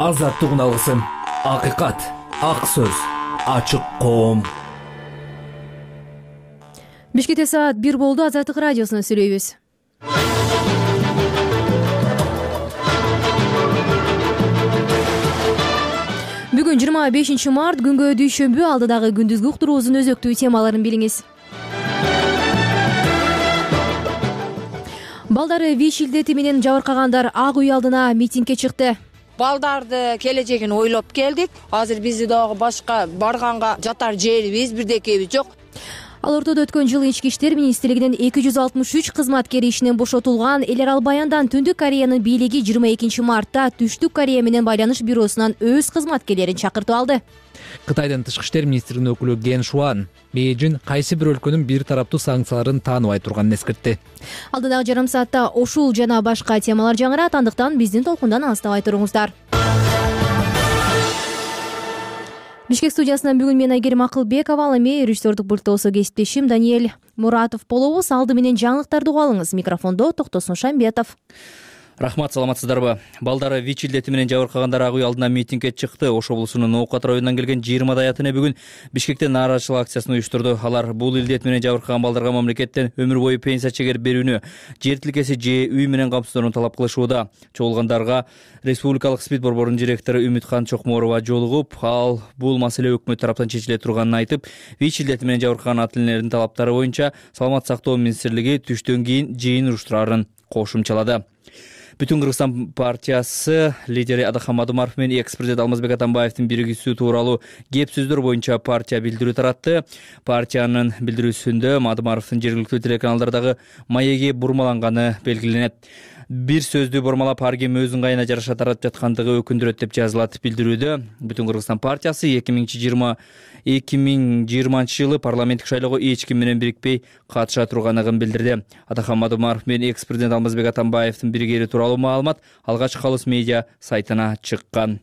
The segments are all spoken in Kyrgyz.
азаттыгын алгысың. Акыйкат, ак сөз, ачык коом. Бишкекте саат 1 болду. Азаттык радиосуна сүйлөйбүз. Бүгүн 25 март, күнгө дүйшөмбү. Алдыдагы күндүзгү уктуруубуздун өзөктүү темаларын билиңиз. Балдары ВИЧ илдети менен жабыркагандар Ак үй алдына митингге чыкты. Балдарды келечегин ойлоп келдик. Азыр бизди дагы башка барганга жатар жерибиз, бирдекебиз жок. Ал ортодо өткөн жылы Ички иштер министрлигинин 263 кызматкери ишинен бошотулган. Эл арал баяндан Түндүк Кореянын бийлиги 22 мартта Түштүк Корея менен байланыш бюросунан өз кызматкерлерин чакыртып алды. Кытайдын тышкы иштер министринин өкүлү Ген Шуан Бейжин кайсы бир өлкөнүн бир тараптуу санкцияларын тааныбай турганын эскертти. Алдыдагы жарым саатта ушул жана башка темалар жаңырат, андыктан биздин толкундан алыстабай туруңуздар. Бишкек студиясынан бүгүн мен Айгерим Акылбекова, ал эми режиссердук пульттосу кесиптешим Даниэль Муратов болобуз. Алды менен жаңылыктарды угуп алыңыз. Микрофондо Токтосун Шамбетов. Рахмат, саламатсыздарбы? Балдары ВИЧ илдети менен жабыркагандар Ак үй алдына митингге чыкты. Ош облусунун Ноокат районунан келген 20 аятыны бүгүн Бишкекте нааразычылык акциясын уюштурду. Алар бул илдет менен жабыркаган балдарга мамлекеттен өмүр бою пенсия чегер берүүнү, жер тилкеси же үй менен камсыздоону талап кылышууда. Чогулгандарга Республикалык СПИД борборунун директору Үмүткан Чокморова жолугуп, ал бул маселе өкмөт тараптан чечиле турганын айтып, ВИЧ илдети менен жабыркаган ата энелердин талаптары боюнча Саламаттык сактоо министрлиги түштөн кийин жыйын уруштурарын кошумчалады. Бүтүн Кыргызстан партиясы лидери Адахам Мадумаров менен экс-президент Алмазбек Атамбаевдин биригүүсү тууралуу кеп сөздөр боюнча партия билдирүү таратты. Партиянын билдирүүсүндө Мадумаровдун жергиликтүү телеканалдардагы маеги бурмаланганы белгиленет. Бир сөздү бурмалап ар ким өз ыңгайына жараша таратып жаткандыгы өкүндүрөт деп жазылат билдирүүдө. Бүтүн Кыргызстан партиясы 2020 жылы парламенттик шайлоого эч ким менен бирикпей катыша турганын билдирди. Атахам Мадумаров менен экс-президент Алмазбек Атамбаевдин биригери тууралуу маалымат алгач Халыс медиа сайтына чыккан.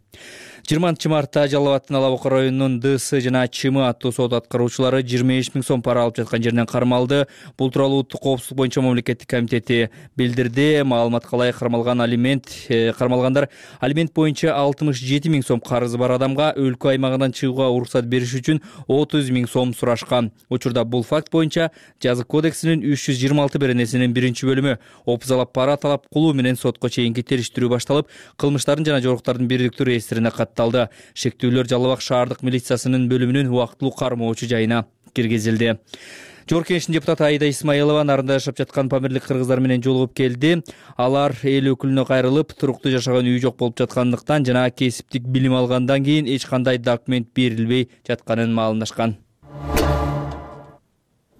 20 мартта Жалал Абаддын Ала Бука районунун ДС жана ЧМ аттуу сот аткаруучулары 25 000 сом пара алып жаткан жеринен кармалды. Бул тууралуу Улуттук коопсуздук боюнча мамлекеттик комитети билдирди. Маалыматка ылайык кармалгандар алимент боюнча 67 000 сом карызы бар адамга өлкө аймагынан чыгууга уруксат бериш үчүн 30 000 сом сурашкан. Учурда бул факт боюнча Жазык кодексинин 326 беренесинин 1-бөлүмү опузалап пара талап кылуу менен сотко чейинки териштирүү башталып, кылмыштардын жана жоруктардын бирдиктүү реестрине катталды. Шектүүлөр Жалал Абад шаардык милициясынын бөлүмүнүн убактылуу кармоочу жайына киргизилди. Жогорку Кеңештин депутаты Аида Исмаилова нарында жашап жаткан памирлик кыргыздар менен жолугуп келди. Алар эл өкүлүнө кайрылып, туруктуу жашаган үй жок болуп жаткандыктан жана кесиптик билим алгандан кийин эч кандай документ берилбей жатканын маалымдашкан.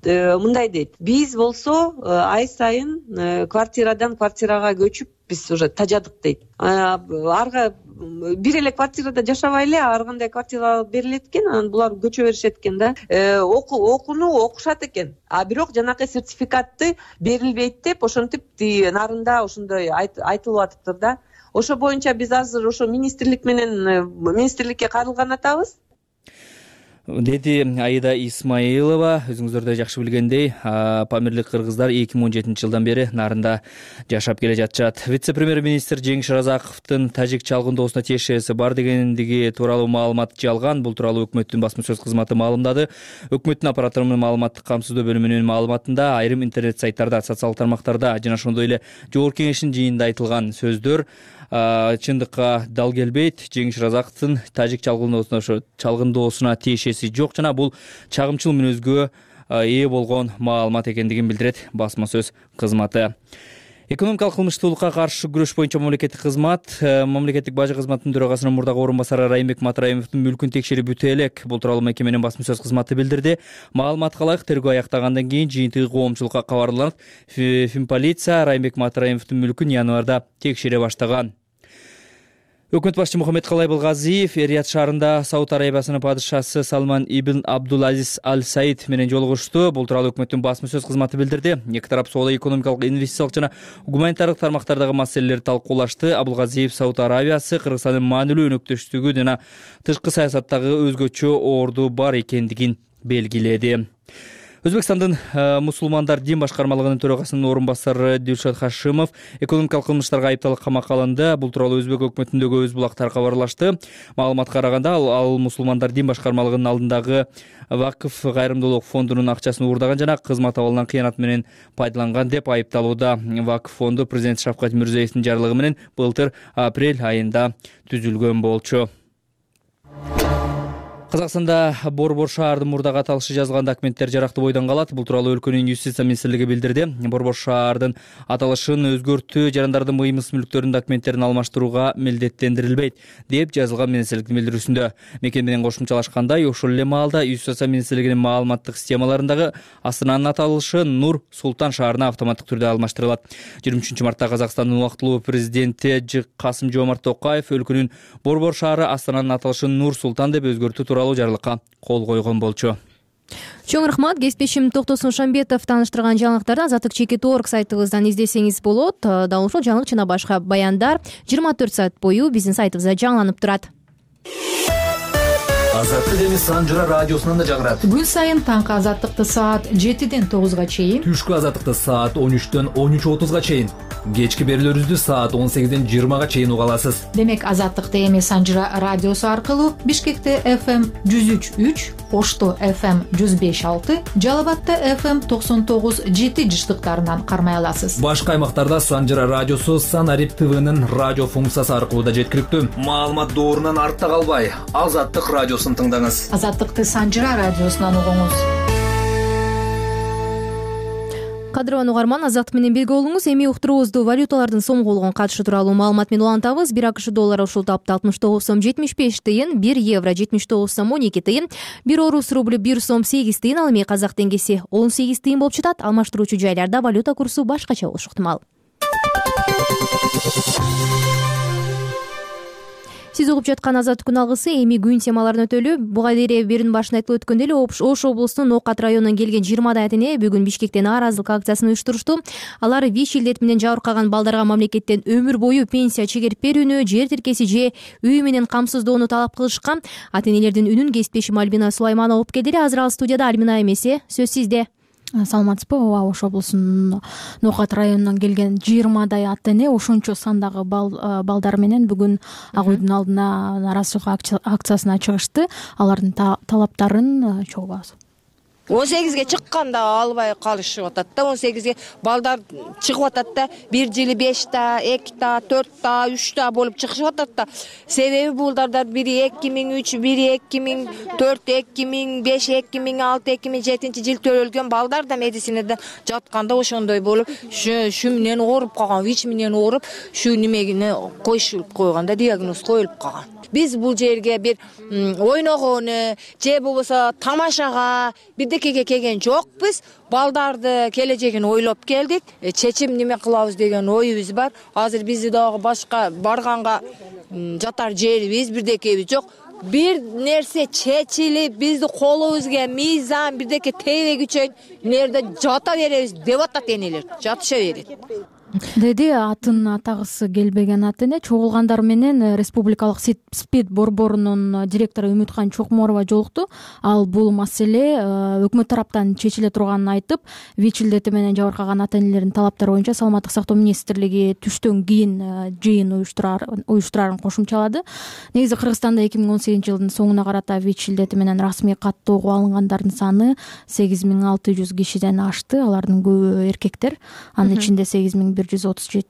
Мындай дейт: биз болсо ай сайын квартирадан квартирага көчүп биз уже тажадык дейт. Арга бир эле квартирада жашабай эле ар кандай квартира берилет экен, анан булар көчө беришет экен да. Окууну окушат экен. А бирок жанакы сертификатты берилбейт деп ошентип нарында ошондой айтылып атыптыр да. Ошо боюнча биз азыр ошо министрликке кайрылган атабыз. Деди Аида Исмаилова. Өзүңүздөр жакшы билгендей, памирлик кыргыздар 2017 жылдан бери нарында жашап келе жатышат. Вице-премьер-министр Жеңиш Разаковдун тажик чалгындоосуна тиешеси бар дегендиги тууралуу маалымат жалган. Бул тууралуу өкмөттүн басма сөз кызматы маалымдады. Өкмөттүн аппаратынын маалыматтык камсыздоо бөлүмүнүн маалыматында айрым интернет сайттарда, социалдык тармактарда жана ошондой эле Жогорку Кеңештин жыйынында айтылган сөздөр чындыкка дал келбейт. Жеңиш Разаковдун тажик чалгындоосуна тиешеси жок жана бул чагымчыл мүнөзгө ээ болгон маалымат экендигин билдирет басма сөз кызматы. Экономикалык кылмыштуулукка каршы күрөш боюнча мамлекеттик бажы кызматынын төрагасынын мурдагы орун басары Раймбек Матраимовдун мүлкүн текшерип бүтө элек. Бул тууралуу мекеменин басма сөз кызматы билдирди. Маалыматка ылайык, тергөө аяктагандан кийин жыйынтыгы коомчулукка кабарланып, Финполиция Раймбек Матраимовдун мүлкүн январда текшере баштаган. Өкмөт башчы Мухаммед Калай Балгазиев Рият шаарында Сауд Арабиясынын падышасы Салман ибн Абдул-Азиз Аль-Саид менен жолугушту. Бул тууралуу өкмөттүн басма сөз кызматы билдирди. Эки тарап соода, экономикалык, инвестициялык жана гуманитардык тармактардагы маселелерди талкуулашты. Абулгазиев Сауд Арабиясы Кыргызстандын маанилүү өнөктөштүгү жана тышкы саясаттагы өзгөчө орду бар экендигин белгиледи. Өзбекстандын мусулмандар дин башкармалыгынын төрагасынын орун басары Дилшат Хашимов экономикалык кылмыштарга айыпталып камакка алынды. Бул тууралуу Өзбек өкмөтүндөгү Өз булактар кабарлашты. Маалыматка караганда ал мусулмандар дин башкармалыгынын алдындагы Вакыф кайрымдуулук фондунун акчасын уурдаган жана кызмат абалынан кыянат менен пайдаланган деп айыпталууда. Вакыф фонду президент Шавкат Мирзиеевдин жарлыгы менен былтыр апрель айында түзүлгөн болчу. Казакстанда Борбор шаардын мурдагы аталышы жазылган документтер жарактуу бойдон калат. Бул тууралуу өлкөнүн юстиция министрлиги билдирди. Борбор шаардын аталышын өзгөртүү, жарандардын мыймыс мүлктөрүнүн документтерин алмаштырууга милдеттендирилбейт деп жазылган министрликтин билдирүүсүндө. Мекен менен кошумчалашканда ошол эле маалда юстиция министрлигинин маалыматтык системаларындагы Астананын аталышы Нур Султан шаарына автоматтык түрдө алмаштырылат. 23 мартта Казакстандын убактылуу президенти Касым-Жомарт Токаев өлкөнүн Борбор шаары Астананын аталышын Нур Султан деп өзгөртүү тууралуу жарлыкка кол койгон болчу. Чоң рахмат. Кесиптешим Токтосун Шамбетов тааныштырган жаңылыктарды Азаттык.org сайтыбыздан издесеңиз болот. Дал ушул жаңылык жана башка баяндар 24 саат бою биздин сайтыбызда жаңыланып турат. Азаттык эми Санжыра радиосунан да жаңырат. Күн сайын таңкы азаттыкты саат 7ден 9га чейин, Түшкү азаттыкты саат 13дөн 13:30га чейин, кечки берүүлөрүбүздү саат 18ден 20га чейин уга аласыз. демек азаттыкты эми Санжыра радиосу аркылуу Бишкекте FM 103.3, Ошто FM 105.6, Жалал Абадта FM 99.7 жыштыктарынан кармай аласыз. Башка аймактарда Санжыра радиосу Санарип ТВнын радио функциясы аркылуу да жеткиликтүү. Маалымат доорунан артта калбай, Азаттык радиосун тыңдаңыз. Азаттыкты Санжыра радиосунан угуңуз. Кадырлуу угарман, Азаттык менен бирге болуңуз. Эми уктуруубузду валюталардын сомголгон катышы тууралуу маалымат менен улантабыз. 1 АКШ доллары ушул тапта 69 сом 75 тыйын, 1 евро 79 сом 12 тыйын, 1 орус рубль 1 сом 8 тыйын, ал эми казак теңгеси 18 тыйын болуп жатат. Алмаштыруучу жайларда валюта курсу башкача болушу ыктымал. Сиз угуп жаткан Азаттык күн алгысы эми күн темаларын өтөлү. Буга дейин берүүнүн башында айтылып өткөндөй эле Ош облусунун Окат районунан келген 20 ата-эне бүгүн Бишкектен нааразылык акциясын уюштурушту. Алар ВИЧ илдети менен жабыркаган балдарга мамлекеттен өмүр бою пенсия чегерип берүүнү, жер тиркеси же үй менен камсыздоону талап кылышкан. Ата-энелердин үнүн кесиптешим Альбина Сулайманова угуп келди. Азыр ал студияда. Альбина эмесе, сөз сизде. Саламатсызбы? Ооба, Ош облусунун Окат районунан келген 20 ата-эне ошончо сандагы балдар менен бүгүн Ак үйдүн алдына нааразычылык акциясына чыгышты. Алардын талаптарын чогубабыз. 18ге чыкканда албай калышып атат да. 18ге балдар чыгып атат да. Бир жылы 5 та, 2 та, 4 та, 3 та болуп чыгышып атат да. Себеби булдардар бири 2003, бири 2004, 2005, 2006, 2007 жыл төрөлгөн балдар да медицинадан жатканда ошондой болуп, şu менен ооруп калган, ВИЧ менен ооруп, şu немегине коюшуп койгонда, диагноз коюлуп калган. Биз бул жерге бир ойногону же болбосо тамашага бирдекеге келген жокпуз. Балдарды келечегин ойлоп келдик. Чечим неме кылабыз деген оюбуз бар. Азыр бизди дагы башка барганга жатар жерибиз, бирдекебиз жок. Бир нерсе чечилип, бизди колубузга мыйзам бирдеке тийбегичен нерде жата беребиз деп атат энелер. Жатыша берет. Деди атын атагысы келбеген ата-эне чогулгандар менен Республикалык СПИД борборунун директору Үмүткан Чокморова жолукту. Ал бул маселе өкмөт тараптан чечиле турганын айтып, ВИЧ илдети менен жабыркаган ата-энелердин талаптары боюнча Саламаттык сактоо министрлиги түштөн кийин жыйын уюштурарын кошумчалады. Негизи Кыргызстанда 2018 жылдын соңуна карата ВИЧ илдети менен расмий каттоого алынгандардын саны 8600 кишиден ашты. Алардын көбү эркектер. Анын ичинде 8137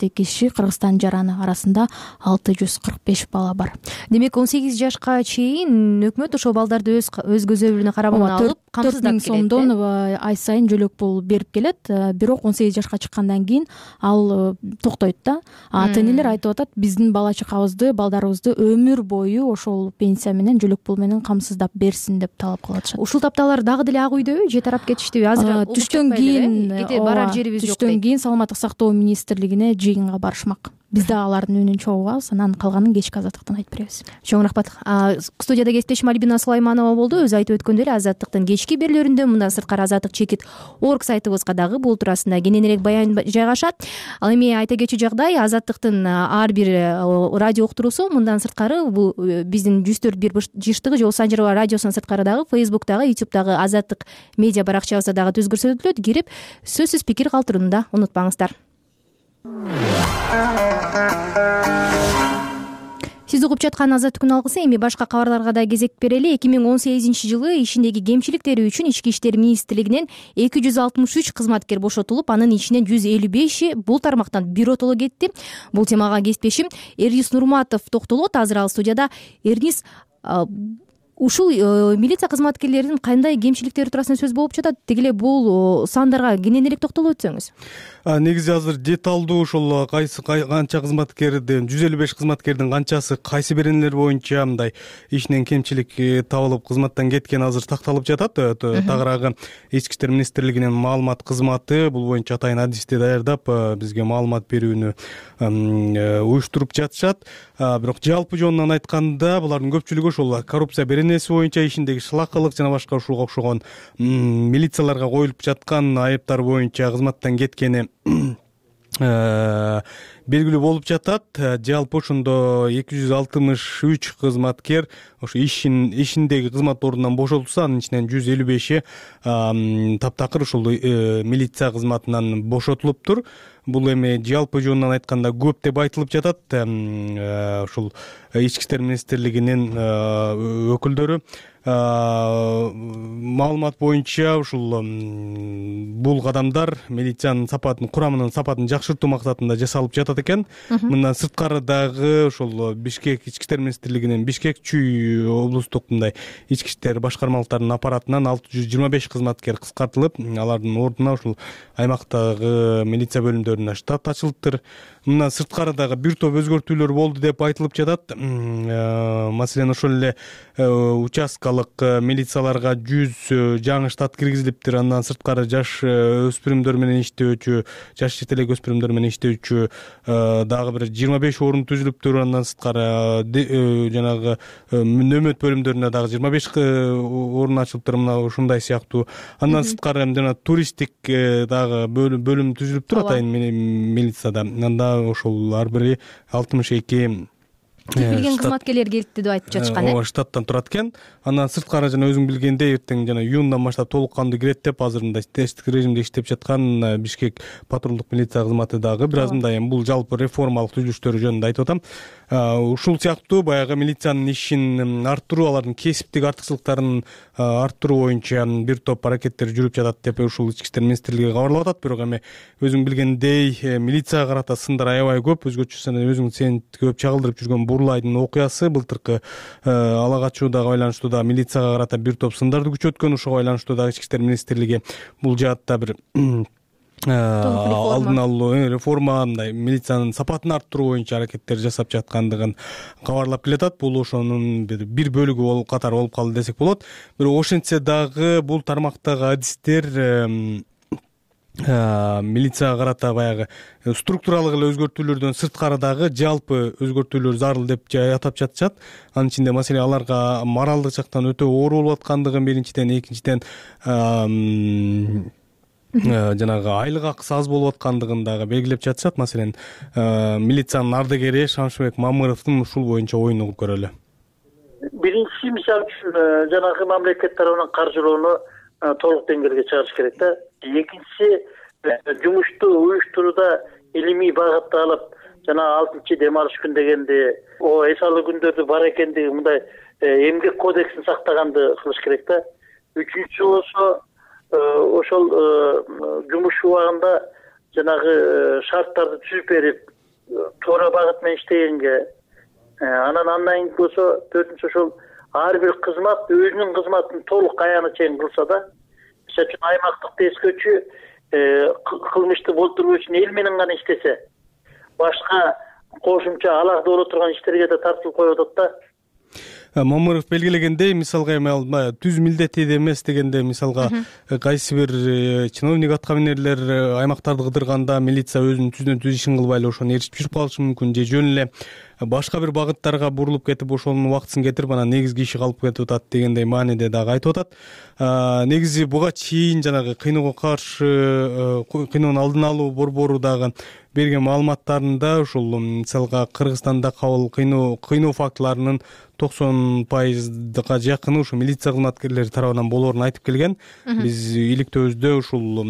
киши, Кыргызстан жараны арасында 645 бала бар. Демек 18 жашка чейин өкмөт ошол балдарды өз көзөмөлүнө карабына алып, камсыздап келет. 4000 сомдон ай сайын жөлөк пул берип келет. Бирок 18 жашка чыккандан кийин ал токтойт да. Ата-энелер айтып атат, биздин бала чакабызды, балдарыбызды өмүр бою ошол пенсия менен, жөлөк пул менен камсыздап берсин деп талап кылышат. Ушул тапталар дагы деле Ак үйдөбү же тарап кетиштиби? Азыр түштөн кийин барар жерибиз жок. Түштөн кийин Саламаттык сактоо министрлиги министрлигине жыйынга барышмак. Биз да алардын үнүн чогубабыз, анан калганын кечки азаттыктан айтып беребиз. Чоң рахмат. Студияда кесиптешим Альбина Сулайманова болду. Өзү айтып өткөндөй эле Азаттыктын кечки берүүлөрүндө, мындан сырткары Азаттык чекит орг сайтыбызга дагы бул туурасында кененирээк баян жайгашат. Ал эми айта кетчү жагдай, Азаттыктын ар бир радио уктуруусу мындан сырткары бул биздин 104.1 жыштыгы же Санжарова радиосунун сырткары дагы Facebook'тагы, YouTube'дагы Азаттык медиа баракчабызда дагы түз көрсөтүлөт. Кирип сөзсүз пикир калтырууну да унутпаңыздар. Сиз угуп жаткан Азаттыктын алгысы. Эми башка кабарларга да кезек берели. 2018-жылы ишиндеги кемчиликтери үчүн Ички иштер министрлигинен 263 кызматкер бошотулуп, анын ичинен 155 бул тармактан биротоло кетти. Бул темага кесиптешим Эрнис Нурматов токтолот. Азыр ал студияда. Эрнис, ушул милиция кызматкерлеринин кандай кемчиликтери туурасында сөз болуп жатат? Деги эле бул сандарга кененирээк токтолуп өтсөңүз. Негизи азыр деталдуу ошол канча кызматкердин 155 кызматкердин канчасы кайсы беренелер боюнча мындай ишинен кемчилик табылып кызматтан кеткен азыр такталып жатат. Тагыраагы Ички иштер министрлигинин маалымат кызматы бул боюнча атайын адисти даярдап бизге маалымат берүүнү уюштуруп жатышат. Бирок жалпы жонунан айтканда булардын көпчүлүгү ошол коррупция беренеси боюнча ишиндеги шылакылык жана башка ушуга окшогон милицияларга коюлуп жаткан айыптар боюнча кызматтан кеткени белгилүү болуп жатат. Жалпы ошондо 263 кызматкер ошо ишиндеги кызмат ордунан бошотулса, анын ичинен 155 таптакыр ушул милиция кызматынан бошотулуптур. Бул эми жалпы жонунан айтканда көп деп айтылып жатат. Ушул Ички иштер министрлигинин өкүлдөрү маалымат боюнча ушул бул кадамдар милициянын сапатын, курамынын сапатын жакшыртуу максатында жасалып жатат экен. Мындан сырткары дагы ошол Бишкек Ички иштер министрлигинин Бишкек Чүй облустук мындай ички иштер башкармалыктарынын аппаратынан 625 кызматкер кыскартылып, алардын ордуна ушул аймактагы милиция бөлүмдөрүнө штат ачылыптыр. Мындан сырткары дагы бир топ өзгөртүүлөр болду деп айтылып жатат. Маселен, ошол эле участкалык милицияларга 100 жаңы штат киргизилиптир. Андан сырткары жаш өспүрүмдөр менен иштөөчү, жаш жетелек өспүрүмдөр менен иштөөчү дагы бир 25 орун түзүлүптүр. Андан сырткары жанагы нөмөт бөлүмдөрүнө дагы 25 орун ачылыптыр. Мына ушундай сыяктуу. Андан сырткары жана туристтик дагы бөлүм түзүлүптүр атайын милицияда. Анда ошол ар бири 62 билген кызматкерлер келипти деп айтып жатышкан. Ооба, штаттан турат экен. Андан сырткары жана өзүң билгендей эртең жана июндан баштап толук кандуу кирет деп азыр мындай тесттик режимде иштеп жаткан Бишкек патрулдук милиция кызматы дагы бир аз мындай бул жалпы реформалык түзүлүштөр жөнүндө айтып атам. Ушул сыяктуу баягы милициянын ишин арттыруу, алардын кесиптик артыкчылыктарын арттыруу боюнча бир топ аракеттер жүрүп жатат деп ушул Ички иштер министрлиги кабарлап атат. Бирок эми өзүң билгендей милицияга карата сындар аябай көп. Өзгөчө сен көп чагылдырып жүргөн Бурлайдын окуясы былтыркы ала качуудага байланыштуу да милицияга карата бир топ сындарды күчөткөн. Ошого байланыштуу да Ички иштер министрлиги бул жаатта бир алдын алуу реформа, мындай милициянын сапатын арттыруу боюнча аракеттер жасап жаткандыгын кабарлап келатат. Бул ошонун бир бөлүгү болуп катары болуп калды десек болот. Бирок ошентсе дагы бул тармактагы адистер милицияга карата баягы структуралык эле өзгөртүүлөрдөн сырткары дагы жалпы өзгөртүүлөр зарыл деп атап жатышат. Анын ичинде маселе аларга моралдык жактан өтө оор болуп аткандыгын биринчиден, экинчиден жанагы айлык акысы аз болуп аткандыгын дагы белгилеп жатышат. Маселен, милициянын ардагери Шамшыбек Мамыровдун ушул боюнча оюн угуп көрөлү. Биринчиси, мисалы үчүн жанагы мамлекет тарабынан каржылоону толук деңгээлге чыгарыш керек да. Экинчиси, жумушту уюштурууда илимий багытты алып, жана 6 дем алыш күн дегенде эс алуу күндөрдү бар экендиги мындай эмгек кодексин сактаганды кылыш керек да. Үчүнчүсү болсо ошол жумуш убагында жанагы шарттарды түзүп берип, туура багыт менен иштегенге, андан кийин болсо төртүнчү ошол ар бир кызмат өзүнүн кызматын толук аяна чейин кылса да, мисалы үчүн аймактык тескөчү кылмышты болтуруу үчүн эл менен гана иштесе, башка кошумча алакта боло турган иштерге да тартылып коюп атат да. Мамыров белгилегендей, мисалга эми түз милдети эмес дегенде, мисалга кайсы бир чиновник аткаминерлер аймактарды кыдырганда милиция өзүнүн түздөн түз ишин кылбай эле ошону ээрчип жүрүп калышы мүмкүн, же жөн эле башка бир багыттарга бурулуп кетип ошонун убактысын кетирип анан негизги иши калып кетип атат дегендей мааниде дагы айтып атат. Негизи буга чейин жанагы кыйноого каршы кыйноонун алдын алуу борбору дагы берген маалыматтарында ушул мисалга Кыргызстанда кабыл кыйноо фактыларынын 90%га жакыны ушу милиция кызматкерлери тарабынан болоорун айтып келген. Биз иликтөөбүздө ушул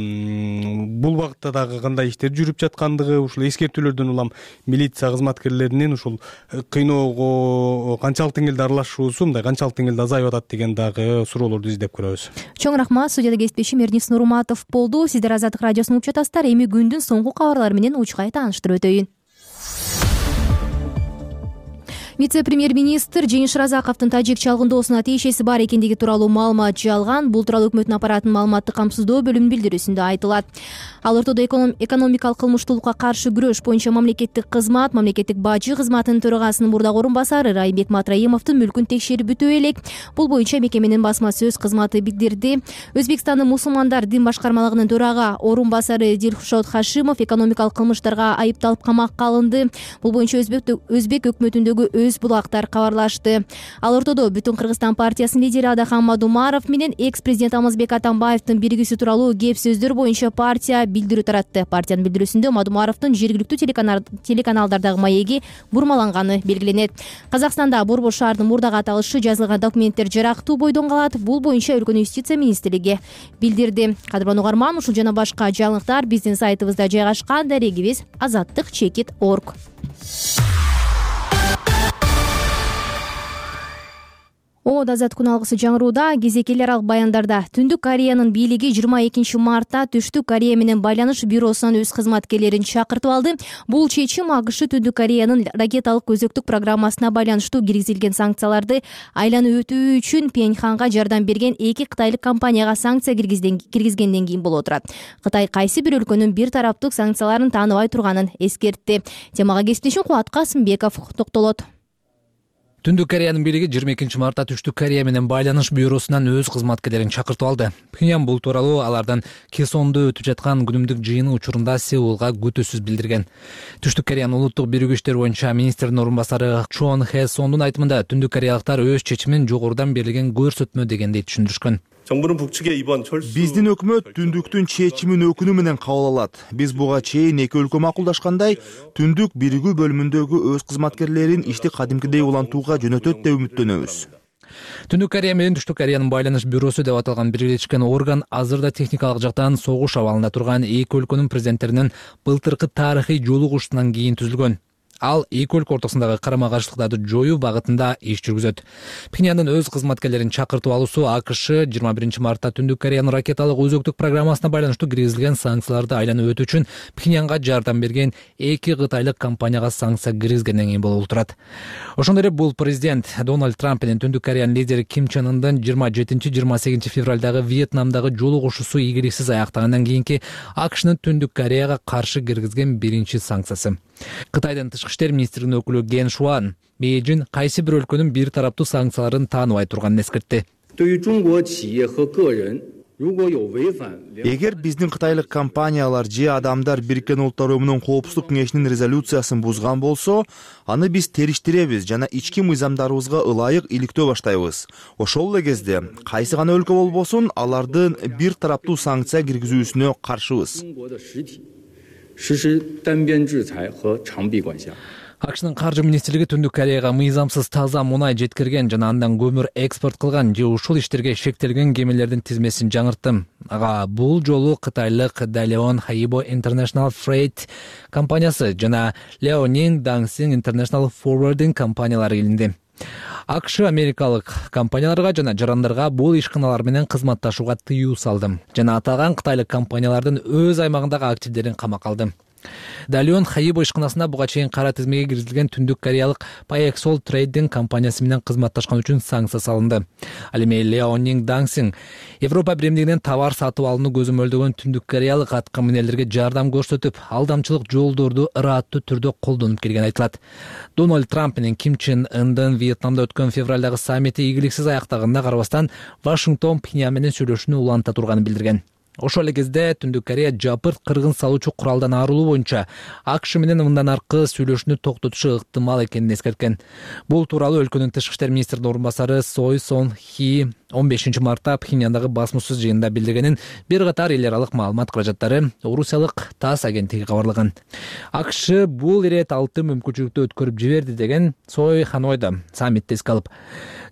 бул багытта дагы кандай иштер жүрүп жаткандыгы, ушул эскертүүлөрдөн улам милиция кызматкерлеринин ушул кыйноого канчалык деңгээлде аралашуусу, мындай канчалык деңгээлде азайып атат деген дагы суроолорду издеп көрөбүз. Чоң рахмат. Студияда кесиптешим Эрнис Нурматов болду. Сиздер Азаттык радиосун угуп жатасыздар. Эми күндүн соңку кабарлары менен учкай тааныштырып өтөйүн. Вице-премьер-министр Жеңиш Шыразаковдун тажик чалгындоосуна тиешеси бар экендиги тууралуу маалымат жалган. Бул тууралуу өкмөттүн аппаратынын маалыматтык камсыздоо бөлүмүнүн билдирүүсүндө айтылат. Ал ортодо экономикалык кылмыштуулукка каршы күрөш боюнча мамлекеттик кызмат, мамлекеттик бажы кызматынын төрагасынын мурдагы орун басары Райымбек Матраимовдун мүлкүн текшерип бүтүү элек. Бул боюнча мекеменин басма сөз кызматы билдирди. Өзбекстандын мусулмандар дин башкармалыгынын төрага орун басары Дилшот Хашимов экономикалык кылмыштарга айыпталып камакка алынды. Бул боюнча Өзбек өкмөтүндөгү булактар кабарлашты. Ал ортодо Бүтүн Кыргызстан партиясынын лидери Адахан Мадумаров менен экс-президент Алмазбек Атамбаевдин биригүүсү тууралуу кеп сөздөр боюнча партия билдирүү таратты. Партиянын билдирүүсүндө Мадумаровдун жергиликтүү телеканалдардагы маеги бурмаланганы белгиленет. Казакстанда Борбор шаардын мурдагы аталышы жазылган документтер жарактуу бойдон калат. Бул боюнча өлкөнүн юстиция министрлиги билдирди. Кадырлан угарман, ушул жана башка жаңылыктар биздин сайтыбызда жайгашкан. Дарегибиз azattik.org. Азат күн алгысы жаңырууда. Кезекти эл аралык баяндарда Түндүк Кореянын бийлиги 22 мартта Түштүк Корея менен байланыш бюросунан өз кызматкерлерин чакыртып алды. Бул чечим АКШ Түндүк Кореянын ракеталык көзөктүк программасына байланыштуу киргизилген санкцияларды айланып өтүү үчүн Пхеньянга жардам берген эки кытайлык компанияга санкция киргизгенден кийин болуп турат. Кытай кайсы бир өлкөнүн бир тараптык санкцияларын тааныбай турганын эскертти. Темага кесиптешим Кубат Касымбеков токтолот. Түндүк Кореянын бийлиги 22 мартта Түштүк Корея менен байланыш бюросунан өз кызматкерлерин чакыртып алды. Пхеньян бул тууралуу алардын Кесондо өтүп жаткан күнүмдүк жыйыны учурунда Сеулга күтүүсүз билдирген. Түштүк Кореянын улуттук биригүү иштер боюнча министрдин орун басары Чон Хэ Сондун айтымында түндүк кореялыктар өз чечимин жогорудан берилген көрсөтмө дегендей түшүндүрүшкөн. Биздин өкмөт түндүктүн чечимин өкүнүү менен кабыл алат. Биз буга чейин эки өлкө макулдашкандай, түндүк биригүү бөлүмүндөгү өз кызматкерлерин ишти кадимкидей улантууга жөнөтөт деп үмүттөнөбүз. Түндүк Корея менен Түштүк Кореянын байланыш бюросу деп аталган бирлешкен орган азырда техникалык жактан согуш абалында турган эки өлкөнүн президенттеринин былтыркы тарыхый жолугушуусунан кийин түзүлгөн. Ал эки өлкө ортосундагы карама-каршылыктарды жоюу багытында иш жүргүзөт. Пхеньяндын өз кызматкерлерин чакыртып алуусу АКШ 21 мартта Түндүк Кореянын ракеталык өзөктүк программасына байланыштуу киргизилген санкцияларды айланып өтүү үчүн Пхеньянга жардам берген эки кытайлык компанияга санкция киргизгенден кийин болуп турат. Ошондой эле бул президент Дональд Трамп менен Түндүк Кореянын лидери Ким Чен Ындын 27-28 февралдагы Вьетнамдагы жолугушуусу ийгиликсиз аяктагандан кийинки АКШнын Түндүк Кореяга каршы киргизген биринчи санкциясы. Кытайдын тышкы иштер министринин өкүлү Ген Шуан Бейжин кайсы бир өлкөнүн бир тараптуу санкцияларын тааныбай турганын эскертти. Эгер биздин кытайлык компаниялар же адамдар Бириккен Улуттар Уюмунун Коопсуздук кеңешинин резолюциясын бузган болсо, аны биз териштиребиз жана ички мыйзамдарыбызга ылайык иликтөө баштайбыз. Ошол эле кезде кайсы гана өлкө болбосун, алардын бир тараптуу санкция киргизүүсүнө каршыбыз. АКШнын каржы министрлиги Түндүк Кореяга мыйзамсыз таза мунай жеткирген жана андан көмүр экспорт кылган же ушул иштерге шектелген кемелердин тизмесин жаңыртты. Ага бул жолу кытайлык Dalian Haibo International Freight компаниясы жана Liaoning Daxing International Forwarding компаниялары илинди. АКШ америкалык компанияларга жана жарандарга бул ишканалар менен кызматташууга тыюу салды жана аталган кытайлык компаниялардын өз аймагындагы активдерин камакка алды. Далион Хаибо ишканасында буга чейин кара тизмеге киргизилген Түндүк Кореялык Paexol Trading компаниясы менен кызматташкан үчүн санкция салынды. Ал эми Леонинг Дансинг Европа биримдигинен товар сатып алууну көзөмөлдөгөн Түндүк Кореялык атка минерлерге жардам көрсөтүп, алдамчылык жолдорду ыраттуу түрдө колдонуп келгени айтылат. Дональд Трамп менен Ким Чен Ындын Вьетнамда өткөн февралдагы саммити ийгиликсиз аяктаганына карабастан Вашингтон Пхеньян менен сүйлөшүүнү уланта турганын билдирген. Ошол эле кезде Түндүк Корея жапырт кыргын салуучу куралдан арылуу боюнча АКШ менен мындан аркы сүйлөшүүнү токтотушу ыктымал экенин эскерткен. Бул тууралуу өлкөнүн тышкы иштер министринин орун басары Сой Сон Хи 15 мартта Пхеньяндагы басмасөз жыйынында билдиргенин бир катар эл аралык маалымат каражаттары Орусиялык ТАСС агенттиги кабарлаган. АКШ бул ирет алты мүмкүнчүлүктү өткөрүп жиберди деген Сой Ханойда саммитте эске алып.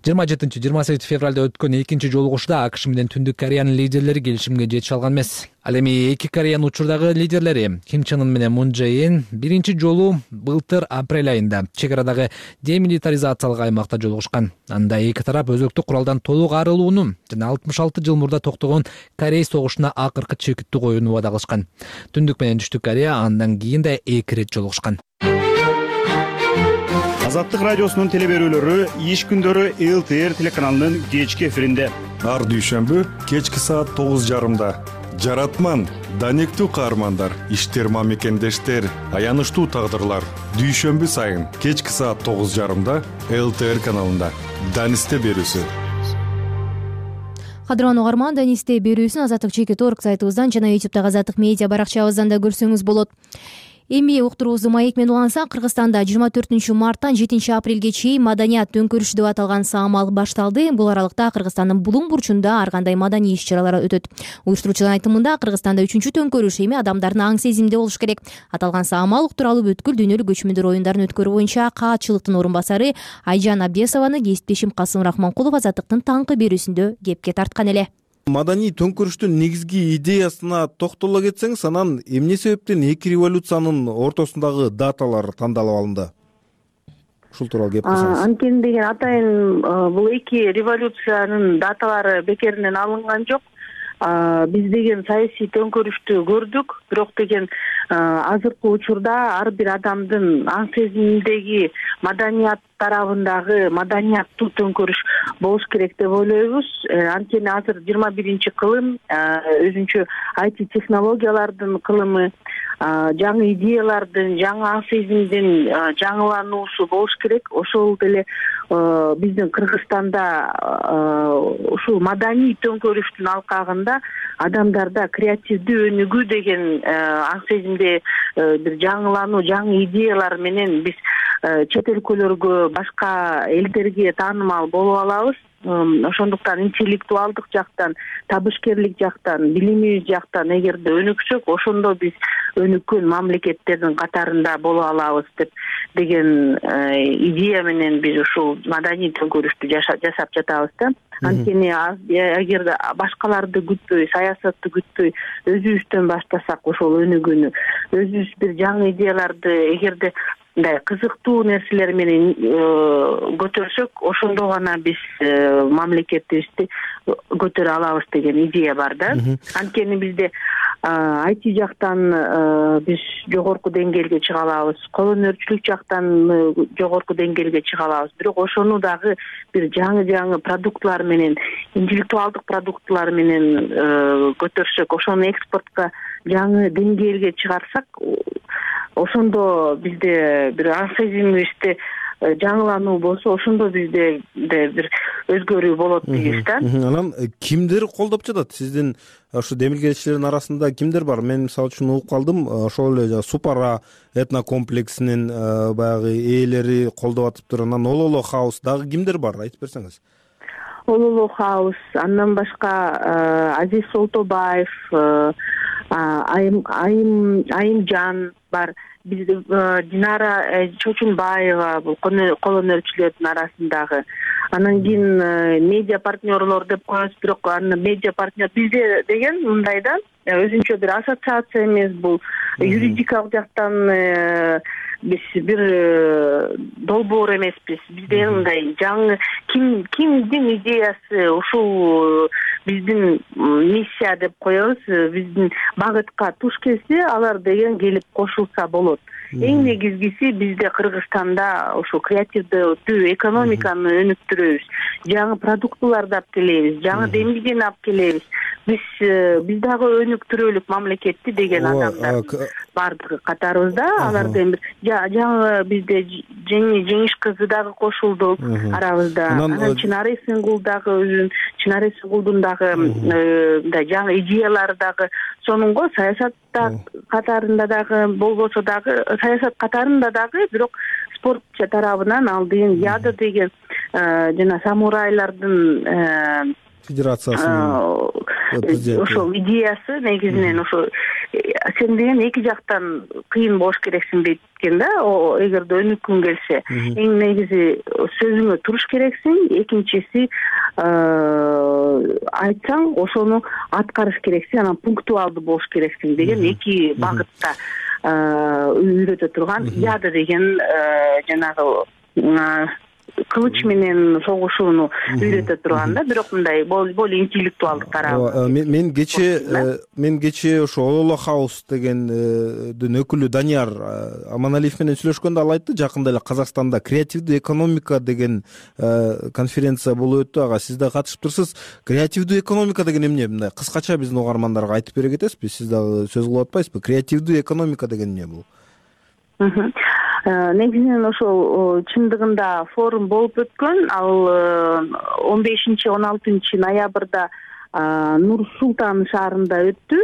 27-28 февралда өткөн экинчи жолугушууда АКШ менен Түндүк Кореянын лидерлери келишимге жетише алган эмес. Ал эми эки Кореянын учурдагы лидерлери Ким Чен Ын менен Мун Чжэ Ин биринчи жолу былтыр апрель айында чек арадагы демилитаризациялык аймакта жолугушкан. Анда эки тарап өзөктүк куралдан толук арылууну жана 66 жыл мурда токтогон Корей согушуна акыркы чекиттүү коюуну убада кылышкан. Түндүк менен Түштүк Корея андан кийин да эки ирет жолугушкан. Азаттык радиосунун теле берүүлөрү иш күндөрү ЛТР телеканалынын кечки эфиринде. Ар дүйшөмбү кечки саат 9:30. Жаратман, данектүү каармандар, иштер мамекендештер, аянычтуу тагдырлар. Дүйшөмбү сайын кечки саат 9:30 ЛТР каналында. Данисте берүүсү. Кадырлан угарман, Данисте берүүсүн Азаттык ЧК.org сайтыбыздан жана YouTube'дагы Азаттык медиа баракчабыздан да көрсөңүз болот. Эми уктуруубузду маек менен улансак, Кыргызстанда 24 марттан 7 апрелге чейин маданият төңкөрүшү деп аталган саамал башталды. Бул аралыкта Кыргызстандын булуң бурчунда ар кандай маданий иш-чаралар өтөт. Уюштуруучулардын айтымында Кыргызстанда 3-чү төңкөрүш эми адамдардын аң сезиминде болуш керек. Аталган саамал уктуралуу бүткүл дүйнөлүк көчмөндөр оюндарын өткөрүү боюнча каатчылыктын орун басары Айжан Абдесованы кесиптешим Касым Рахманкулов Азаттыктын таңкы берүүсүндө кепке тарткан эле. Маданий төңкөрүштүн негизги идеясына токтоло кетсеңиз, анан эмне себептен эки революциянын ортосундагы даталар тандалып алынды? Ушул тууралуу кеп кылсаңыз. Анткени деген атайын бул эки революциянын даталары бекеринен алынган жок. Биз деген саясий төңкөрүштү көрдүк, бирок деген азыркы учурда ар бир адамдын аң сезиминдеги маданият тарабындагы маданияттуу төңкөрүш болуш керек деп ойлойбуз. Анткени азыр 21-кылым, өзүнчө IT технологиялардын кылымы, жаңы идеялардын, жаңы аң сезимдин жаңылануусу болуш керек. Ошол деле биздин Кыргызстанда ушул маданий төңкөрүштүн алкагында адамдарда креативдүү өнүгүү деген аң сезимде бир жаңылануу, жаңы идеялар менен биз чет өлкөлөргө, башка элдерге таанымал болуп алабыз. Ошондуктан интеллектуалдык жактан, табышкерлик жактан, билимибиз жактан эгерде өнүксөк, ошондо биз өнүккөн мамлекеттердин катарында боло алабыз деген идея менен биз ушул маданий төңкөрүштү жасап жатабыз да. Анткени эгерде башкаларды күтпөй, саясатты күтпөй, өзүбүздөн баштасак ошол өнүгүүнү, өзүбүз бир жаңы идеяларды эгерде мындай кызыктуу нерселер менен көтөрсөк, ошондо гана биз мамлекетибизди көтөрө алабыз деген идея бар да. Анткени бизде IT жактан биз жогорку деңгээлге чыга алабыз, кол өнөрчүлүк жактан жогорку деңгээлге чыга алабыз. Бирок ошону дагы бир жаңы продуктлар менен, интеллектуалдык продуктлар менен көтөрсөк, ошону экспортко жаңы деңгээлге чыгарсак, ошондо бизде бир аң сезимибизде жаңылануу болсо, ошондо бизде бир өзгөрүү болот дейбиз да. Анан кимдер колдоп жатат? Сиздин ушу демилгелечилердин арасында кимдер бар? Мен мисалы үчүн угуп калдым, ошол эле Супара этнокомплексинин баягы ээлери колдоп атыптыр. Анан Ололо Хаус дагы кимдер бар? Айтып берсеңиз. Ололо Хаус, андан башка Азиз Солтобаев, Айымжан бар. Биз Динара Чочунбаева бул кол өнөрчүлөрдүн арасындагы. Анан кийин медиа партнерлор деп коебуз, бирок аны медиа партнер бизде деген мындай да, өзүнчө бир ассоциация эмес, бул юридикалык жактан биз бир долбоор эмеспиз. Бизде мындай жаңы кимдин идеясы ушул биздин миссия деп коебуз, биздин багытка туш келсе алар деген келип кошулса болот. Эң негизгиси бизде Кыргызстанда ошо креативдүү экономиканы өнүктүрөбүз, жаңы продуктыларды алып келебиз, жаңы демилгени алып келебиз. Биз дагы өнүктүрөлүк мамлекетти деген адамдар бардыгы катарыбызда. Алардын жаңы бизде Жеңиш кызы дагы кошулду арабызда. Анан Чынар Эсенгул дагы Чынар Эсенгулдун дагы мындай жаңы идеялары дагы сонунго саясат катарында дагы болбосо дагы саясат катарында дагы бирок спорт тарабынан ал деген Яда деген жана самурайлардын федерациясынын ошол идеясы негизинен ошо сен деген эки жактан кыйын болуш керексиң дейт экен да. Эгерде өнүккүң келсе, эң негизи сөзүңө туруш керексиң, экинчиси айтсаң ошону аткарыш керексиң, анан пунктуалдуу болуш керексиң деген эки багытта үйрөтө турган Яда деген жанагы кылыч менен согушууну үйрөтө турган да, бирок мындай более интеллектуалдык тарабы. Мен кече ошо Ололо Хаус дегендин өкүлү Данияр Аманалиев менен сүйлөшкөндө ал айтты, жакында эле Казакстанда креативдүү экономика деген конференция болуп өттү. Ага сиз да катышыптырсыз. Креативдүү экономика деген эмне? Мындай кыскача биздин угармандарга айтып бере кетесизби? Сиз дагы сөз кылып атпайсызбы? Креативдүү экономика деген эмне бул? Негизинен ошол чындыгында форум болуп өткөн. Ал 15-16 ноябрда Нур-Султан шаарында өттү.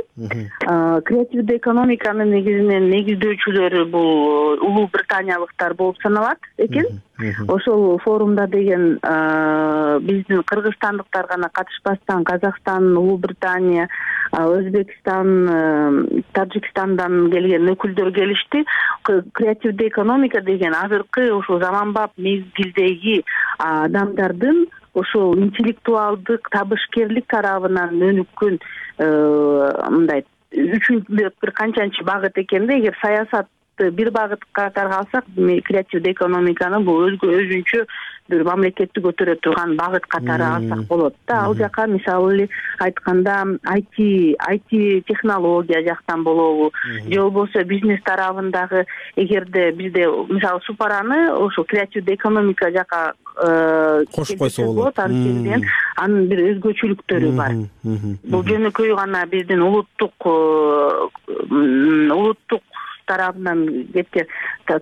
Креативдүү экономиканын негизинен негиздөөчүлөрү бул Улуу Британиялыктар болуп саналат экен. Ошол форумда деген биздин кыргызстандыктар гана катышпастан Казакстан, Улуу Британия, Өзбекстан, Тажикстандан келген өкүлдөр келишти. Креативдүү экономика деген азыркы ошо заманбап мезгилдеги адамдардын ошол интеллектуалдык, табышкерлик тарабынан өнүккөн мындай үчүнчү бир канчанчы багыт экен да. Эгер саясатты бир багытка катарга алсак, креативдүү экономиканы бул өзүнчө бир мамлекетти көтөрө турган багыт катары алсак болот да. Ал жака мисалы эле айтканда IT технология жактан болобу, же болбосо бизнес тарабындагы, эгерде бизде мисалы Супараны ошо креативдүү экономика жака кошуп койсо болот. Анын бир өзгөчөлүктөрү бар. Бул жөнөкөй гана биздин улуттук тарабынан кеткен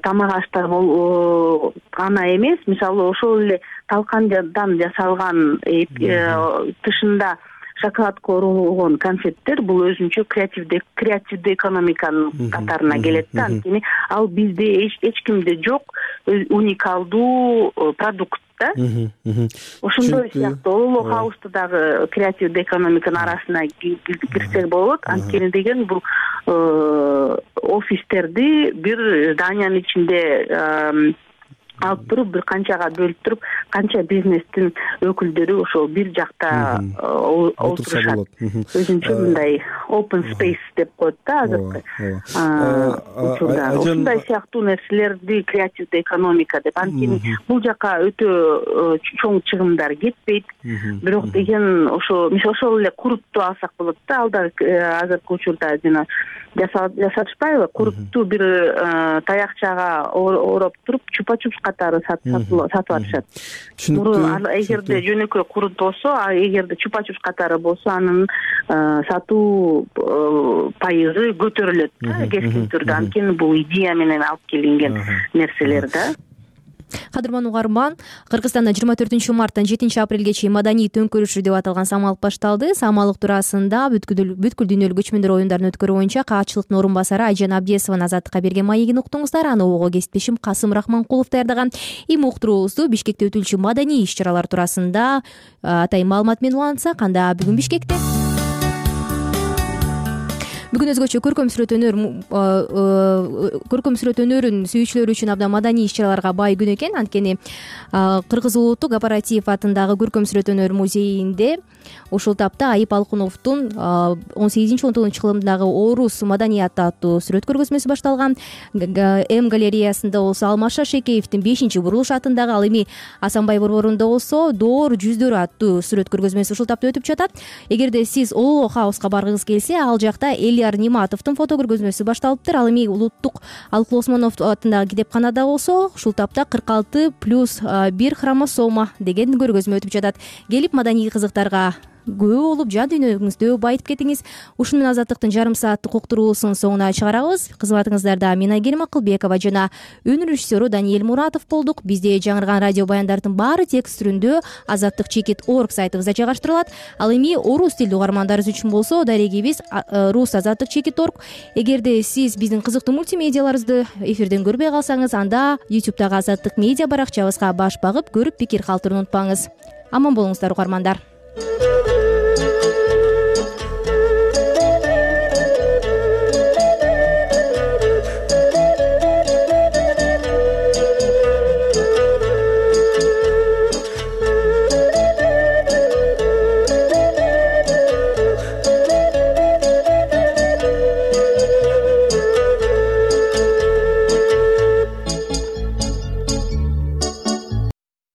тамак аштар гана эмес. Мисалы ошол эле талкандан жасалган тышында шоколадка оролгон конфеттер бул өзүнчө креативдүү экономиканын катарына келет да. Анткени ал бизде эч кимде жок уникалдуу продукт да. Ошондой сыяктуу Ололо Хаусту дагы креативдүү экономиканын арасына кирсек болот. Анткени деген бул офистерди бир зданиянын ичинде алып туруп, бир канчага бөлүп туруп, канча бизнестин өкүлдөрү ошол бир жакта отурушат. Өзүнчө мындай open space деп коет да азыркы учурда. Ушундай сыяктуу нерселерди креативдүү экономика деп. Анткени бул жака өтө чоң чыгымдар кетпейт. Бирок деген ошо ошол эле курутту алсак болот да. Ал да азыркы учурда жана жасатышпайбы? Курутту бир таякчага ороп туруп чупа-чупс катары сатып атышат. Эгерде жөнөкөй курут болсо, эгерде чупа-чупс катары болсо, анын сатуу пайызы көтөрүлөт да кескин түрдө. Анткени бул идея менен алып келинген нерселер да. Кадырман угарман, Кыргызстанда 24 марттан 7 апрелге чейин маданий төңкөрүшү деп аталган самалык башталды. Самалык туурасында бүткүл дүйнөлүк көчмөндөр оюндарын өткөрүү боюнча каатчылыктын орун басары Айжан Абдиесованын Азаттыкка берген маегин уктуңуздар. Аны угууга кесиптешим Касым Рахманкулов даярдаган. Эми уктуруубузду Бишкекте өтүлчү маданий иш-чаралар туурасында атайын маалымат менен улантсак, анда бүгүн Бишкекте бүгүн өзгөчө көркөм сүрөт өнөрүн сүйүүчүлөр үчүн абдан маданий иш-чараларга бай күн экен. Анткени Кыргыз улуттук Апаратив атындагы көркөм сүрөт өнөр музейинде ушул тапта Айып Алкуновдун 18-19 кылымдагы орус маданияты аттуу сүрөт көргөзмөсү башталган. М галереясында болсо Алмаша Шекеевдин 5-бурулуш атындагы, ал эми Асанбай борборунда болсо Доор жүздөрү аттуу сүрөт көргөзмөсү ушул тапта өтүп жатат. Эгерде сиз Улуу Хауска баргыңыз келсе, ал жакта Элияр Ниматовдун фото көргөзмөсү башталыптыр. Ал эми Улуттук Алкул Осмонов атындагы китепканада болсо ушул тапта 46+1 хромосома деген көргөзмө өтүп жатат. Келип маданий кызыктарга күбө болуп, жан дүйнөңүздү байытып кетиңиз. Ушун менен Азаттыктын жарым сааттык уктуруусун соңуна чыгарабыз. Кызматыңыздарда мен Айгерим Акылбекова жана өнөр режиссеру Даниэль Муратов болдук. Бизде жаңырган радио баяндардын баары текст түрүндө azattik.org сайтыбызда жайгаштырылат. Ал эми орус тилдүү угармандарыбыз үчүн болсо дарегибиз rus@azattik.org. Эгерде сиз биздин кызыктуу мультимедиаларыбызды эфирден көрбөй калсаңыз, анда YouTube'дагы Азаттык медиа баракчабызга баш багып көрүп пикир калтырууну унутпаңыз. Аман болуңуздар угармандар.